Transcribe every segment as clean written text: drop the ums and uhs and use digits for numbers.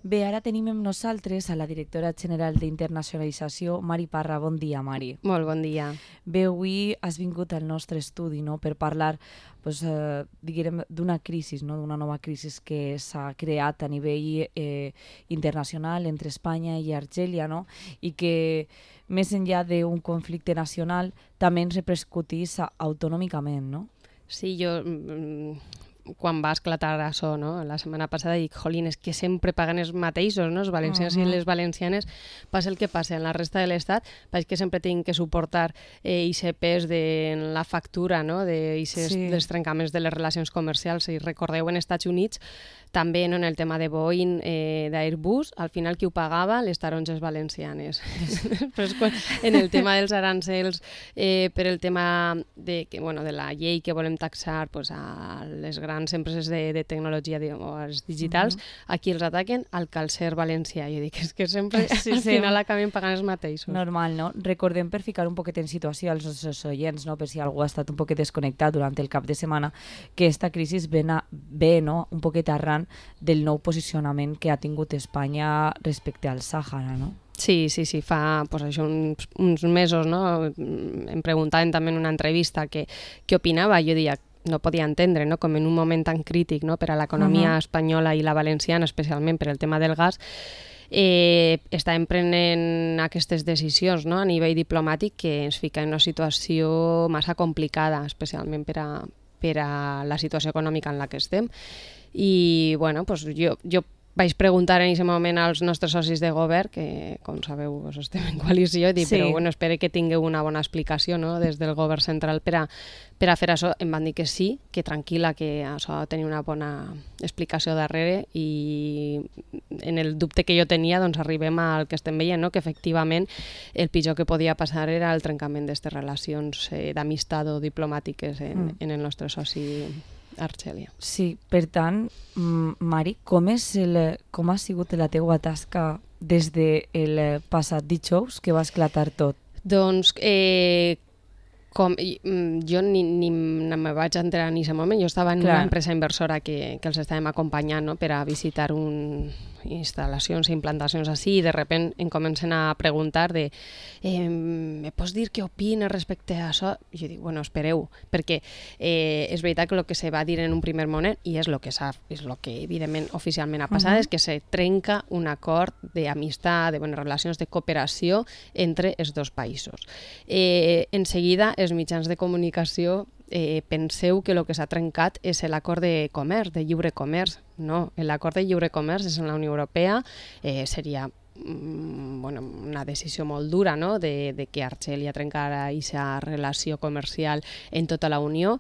Bé, ara tenim amb nosaltres a la directora general d'Internacionalització, Mari Parra. Bon dia, Mari. Molt bon dia. Bé, avui has vingut al nostre estudi, no?, per parlar diguem, d'una crisi, no?, d'una nova crisi que s'ha creat a nivell internacional entre Espanya i Argèlia, no?, i que més enllà d'un conflicte nacional també ens repercutís autonòmicament, no? Sí, jo quan va esclatar això, no? La setmana passada dic, jolín, és que sempre paguen els mateixos, no? Els valencians i les valencianes, passa el que passa en la resta de l'Estat, és que sempre tenen que suportar aquest pes de la factura, no? Dels trencaments de les relacions comercials. Si recordeu, en Estats Units, també en el tema de Boeing, d'Airbus, al final qui ho pagava? Les taronges valencianes. En el tema dels arancels, per el tema de la llei que volem taxar a les grans empreses de tecnologia o els digitals, aquí els ataquen al calcer valencià. Jo dic, és que sempre al final acaben pagant els mateixos. Normal, no? Recordem, per ficar un poquet en situació als nostres oients, no?, per si algú ha estat un poquet desconnectat durant el cap de setmana, que aquesta crisi ve no?, un poquet arran del nou posicionament que ha tingut Espanya respecte al Sàhara, no? Sí, fa això uns mesos, no? Em preguntaven també en una entrevista què opinava. Jo deia, no podia entendre, no?, com en un moment tan crític, no?, per a l'economia espanyola i la valenciana, especialment per el tema del gas, estàvem prenent aquestes decisions, no?, a nivell diplomàtic, que ens fica en una situació massa complicada, especialment per a la situació econòmica en la que estem. I bueno, jo vaig preguntar en aquest moment als nostres socis de govern, que com sabeu estem en coalició, i dic, però bueno, espero que tingueu una bona explicació, no?, des del govern central per a fer això. Em van dir que sí, que tranquil·la, que això tenia una bona explicació darrere, i en el dubte que jo tenia, doncs arribem al que estem veient, no?, que efectivament el pitjor que podia passar era el trencament d'aquestes relacions d'amistat o diplomàtiques en el nostre soci Argèlia. Sí, per tant, Mari, com ha sigut la teua tasca des del passat dijous que va esclatar tot? Doncs jo ni me vaig enterar en aquest moment. Jo estava en una empresa inversora que els estàvem acompanyant, no?, per a visitar instal·lacions i implantacions així, i de repent em comencen a preguntar me pots dir què opines respecte a això? I jo dic, bueno, espereu, perquè és veritat que el que se va dir en un primer moment, i és el que evidentment oficialment ha passat, és que se trenca un acord d'amistat, de bones relacions, de cooperació entre els dos països. En seguida, els mitjans de comunicació penseu que el que s'ha trencat és l'acord de comerç, de lliure comerç. No, l'acord de lliure comerç és en la Unió Europea, seria una decisió molt dura, no?, de que Argèlia trencara aquesta relació comercial en tota la Unió,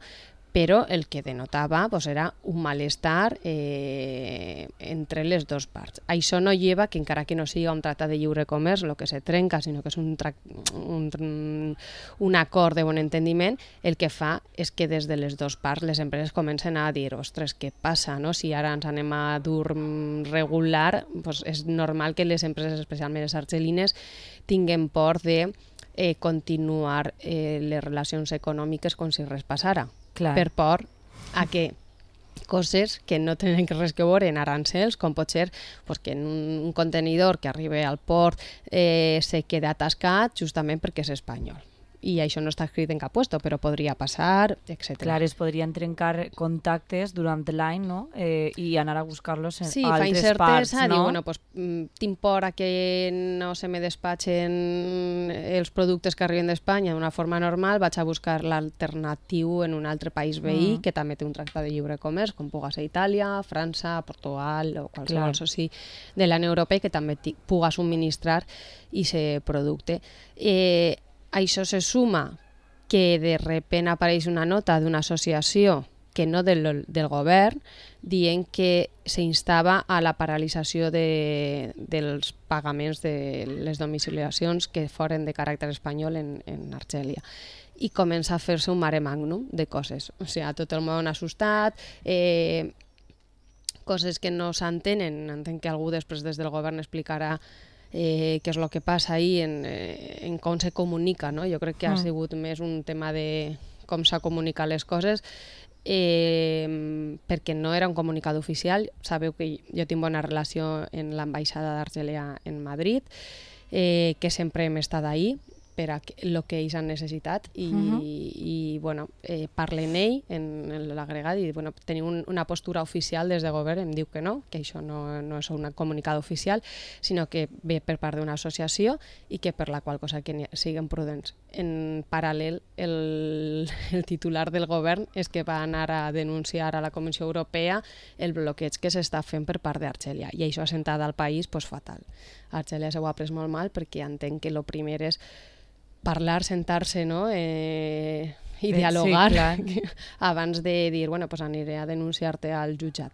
però el que denotava era un malestar entre les dues parts. Això no lleva que, encara que no sigui un tractat de lliure comerç el que se trenca, sinó que és un acord de bon entendiment, el que fa és que des de les dues parts les empreses comencen a dir, ostres, què passa, no? Si ara ens anem a dur regular, és normal que les empreses, especialment les argelines, tinguin por de continuar les relacions econòmiques com si res passara. Per por a que coses que no tenen res que veure en arancels, com pot ser que en un contenidor que arriba al port se queda atascat justament perquè és espanyol. I això no està escrit en cap puesto, però podria passar, etc. Clar, es podrien trencar contactes durant l'any, no?, i anar a buscar-los a altres parts, no? Sí, fa incertesa, diu, bueno, tinc por a que no se me despatxen els productes que arriben d'Espanya d'una forma normal, vaig a buscar l'alternatiu en un altre país veí que també té un tractat de lliure comerç, com puga ser Itàlia, França, Portugal o qualsevol soci de la Unió Europea que també puga subministrar aquest producte. Això se suma que de repent apareix una nota d'una associació que no del govern dient que s'instava a la paralització dels pagaments de les domiciliacions que foren de caràcter espanyol en Argèlia. I comença a fer-se un mare magnum de coses. O sigui, tot el món assustat, coses que no s'entenen. Entenc que algú després des del govern explicarà què és el que passa ahí en com se comunica, no? Jo crec que ha sigut més un tema de com s'ha comunicat les coses, perquè no era un comunicat oficial. Sabeu que jo tinc bona relació en l'ambaixada d'Argèlia en Madrid, que sempre hem estat ahí per a el que ells han necessitat i bueno, parlen ell en l'agregat i bueno, tenim una postura oficial des de govern, em diu que no, que això no és un comunicat oficial, sinó que ve per part d'una associació i que per la qual cosa que siguin prudents. En paral·lel, el titular del govern és que va anar a denunciar a la Comissió Europea el bloqueig que s'està fent per part d'Argèlia i això ha sentat al país fatal. Argèlia s'ho ha pres molt mal perquè entenc que el primer és parlar, sentar-se, no? I dialogar abans de dir, bueno, pues aniré a denunciar-te al jutjat.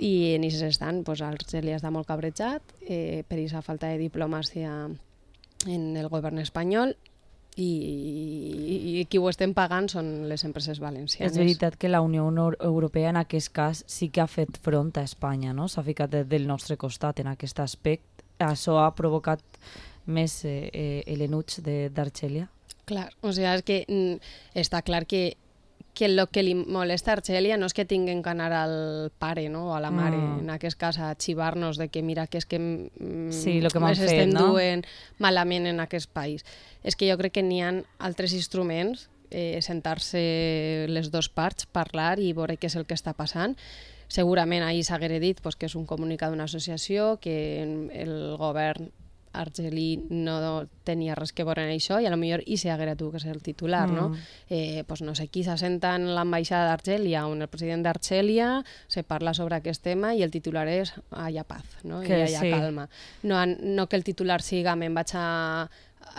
I en aquest instant, pues, Argèlia està molt cabrejat per aquesta falta de diplomàcia en el govern espanyol i qui ho estem pagant són les empreses valencianes. És veritat que la Unió Europea en aquest cas sí que ha fet front a Espanya, no? S'ha ficat del nostre costat en aquest aspecte. Això ha provocat més l'enuig d'Argèlia? Clar, o sigui, és que està clar que el que li molesta a Argèlia no és que tinguin que anar al pare, no? O a la mare, en aquest cas, a xivar-nos de que mira que és que estem duent malament en aquest país. És que jo crec que n'hi ha altres instruments, sentar-se les dues parts, parlar i veure què és el que està passant. Segurament ahir s'haguera dit que és un comunicat d'una associació, que el govern argelí no tenia res que veure en això i potser hi s'haguera tu que ser el titular, no? No sé qui s'assenta en l'ambaixada d'Argèlia on el president d'Argèlia se parla sobre aquest tema i el titular és haya paz, no? I haya calma. No que el titular siga me'n vaig a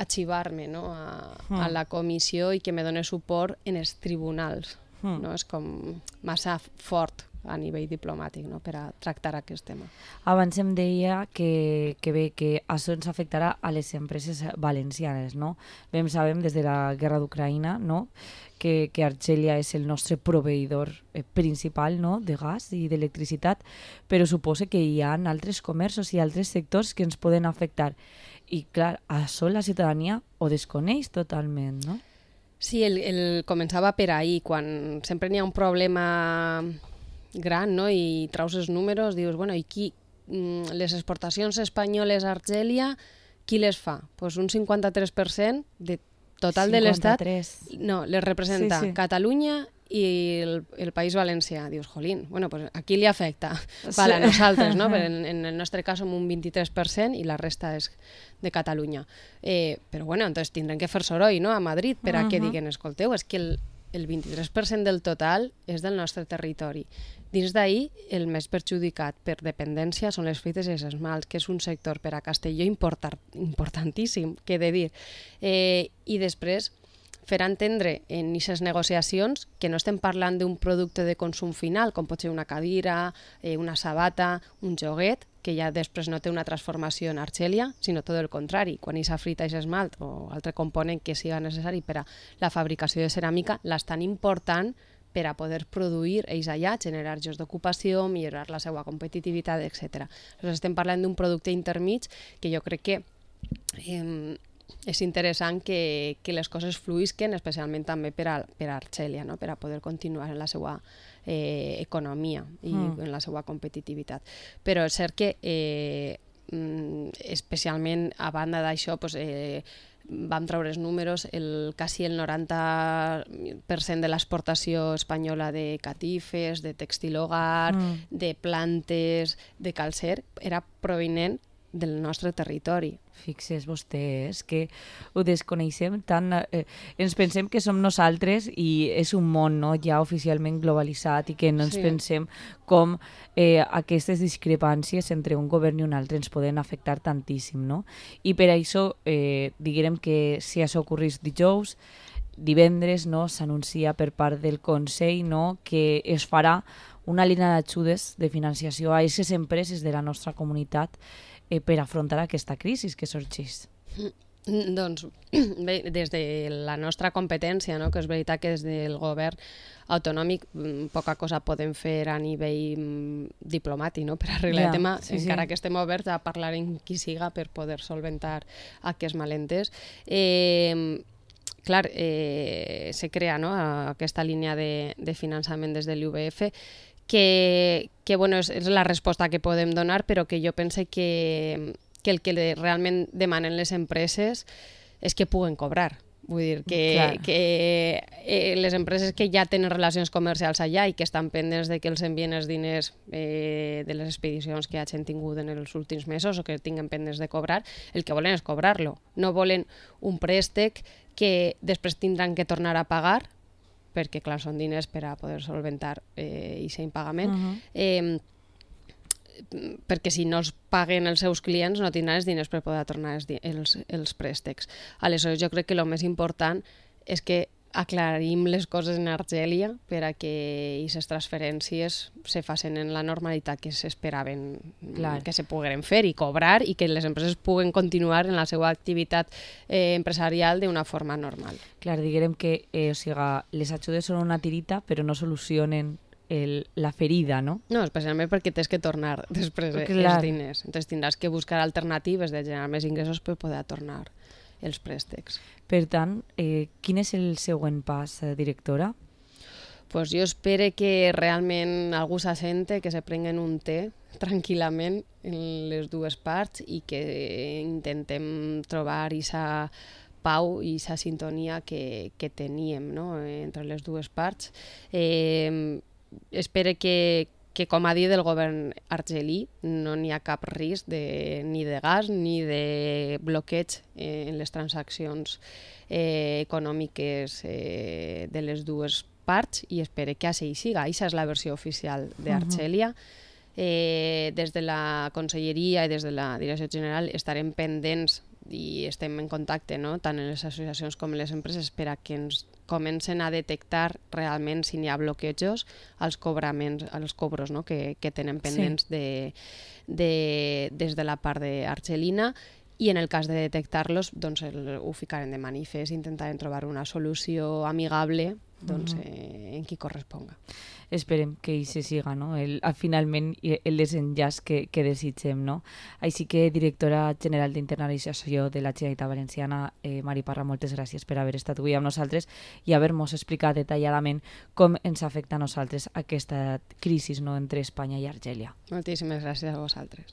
xivar-me, no? A la comissió i que me doni suport en els tribunals. No? És com massa fort a nivell diplomàtic, no? Per a tractar aquest tema. Abans em deia que això ens afectarà a les empreses valencianes, no? Sabem des de la guerra d'Ucraïna, no? que Argèlia és el nostre proveïdor principal, no? De gas i d'electricitat, però suposa que hi ha altres comerços i altres sectors que ens poden afectar. I clar, això la ciutadania ho desconeix totalment, no? Sí, el començava per ahir, quan sempre n'hi ha un problema gran, no? I traus els números, dius, bueno, i qui, les exportacions espanyoles a Argèlia, qui les fa? Pues un 53% de total 53. De l'estat, no, les representa Catalunya i el País Valencià. Dius, jolín, bueno, pues aquí li afecta. Vale, a nosaltres, no? Però en el nostre cas som un 23% i la resta és de Catalunya. Però bueno, entonces tindrem que fer soroll, no? A Madrid per a que diguen, escolteu, és que el 23% del total és del nostre territori. Dins d'ahir, el més perjudicat per dependència són les fruites i els esmalts, que és un sector per a Castelló importantíssim, que he de dir. I després, fer entendre en aquestes negociacions que no estem parlant d'un producte de consum final, com pot ser una cadira, una sabata, un joguet, que ja després no té una transformació en Argèlia, sinó tot el contrari. Quan aquesta frita i esmalt o altre component que siga necessari per a la fabricació de ceràmica, l'estan important per a poder produir ells allà, generar llocs d'ocupació, millorar la seva competitivitat, etc. Llavors estem parlant d'un producte intermig que jo crec que és interessant que les coses fluïsquen, especialment també per a Argèlia, no? Per a poder continuar en la seva economia i en la seva competitivitat. Però és cert que especialment a banda d'això vam treure els números, quasi el 90% de l'exportació espanyola de catifes, de textil hogar, de plantes, de calcer, era provinent del nostre territori. Fixes vostè, és que ho desconeixem tant, ens pensem que som nosaltres i és un món, no? Ja oficialment globalitzat i que no ens pensem com aquestes discrepàncies entre un govern i un altre ens poden afectar tantíssim, no? I per això diguem que si això ocorrís dijous, divendres, no, s'anuncia per part del Consell, no, que es farà una línia d'ajudes de financiació a aquestes empreses de la nostra comunitat per afrontar aquesta crisi que sorgeix. Doncs bé, des de la nostra competència, no? Que és veritat que des del govern autonòmic poca cosa podem fer a nivell diplomàtic, no? Per arreglar el tema, encara que estem oberts a parlar amb qui siga per poder solventar aquests malentès. clar, se crea aquesta línia de finançament des de l'UVF, que bueno, és la resposta que podem donar, però que jo pense que el que realment demanen les empreses és que puguen cobrar. Vull dir que les empreses que ja tenen relacions comercials allà i que estan pendents de que els envien els diners de les expedicions que hagin tingut en els últims mesos o que tinguen pendents de cobrar, el que volen és cobrar-lo. No volen un préstec que després tindran que tornar a pagar, perquè clar, són diners per a poder solventar aquest impagament, perquè si no els paguen els seus clients no tindran els diners per poder tornar els préstecs. Aleshores, jo crec que el més important és que aclarim les coses en Argèlia per a que aquestes transferències se facin en la normalitat que s'esperaven que se pogueren fer i cobrar i que les empreses puguen continuar en la seva activitat empresarial d'una forma normal. Clar, diguem que les ajudes són una tirita però no solucionen la ferida, no? No, especialment perquè tens que tornar després els diners. Entonces tindràs que buscar alternatives de generar més ingressos per poder tornar els préstecs. Per tant, quin és el següent pas, directora? Pues jo espero que realment algú s'assente, que se prenguen un té tranquil·lament en les dues parts i que intentem trobar aquesta pau i aquesta sintonia que teníem, no? Entre les dues parts. Espero que, com ha dit el govern argelí, no n'hi ha cap risc ni de gas ni de bloqueig en les transaccions econòmiques de les dues parts i espero que així siga. Aquesta és la versió oficial d'Argèlia. Des de la Conselleria i des de la Direcció General estarem pendents i estem en contacte, no? Tant en les associacions com en les empreses per a que ens comencen a detectar realment si n'hi ha bloquejos als cobros, no? que tenen pendents des de la part argelina, i en el cas de detectar-los doncs ho ficarem de manifest, intentarem trobar una solució amigable en qui corresponga. Esperem que hi se siga, no? Finalment el desenllaç que desitgem, no? Així que, directora general d'Internalització de la Generalitat Valenciana, Mari Parra, moltes gràcies per haver estat avui amb nosaltres i haver-nos explicat detalladament com ens afecta a nosaltres aquesta crisi, no?, entre Espanya i Argèlia. Moltíssimes gràcies a vosaltres.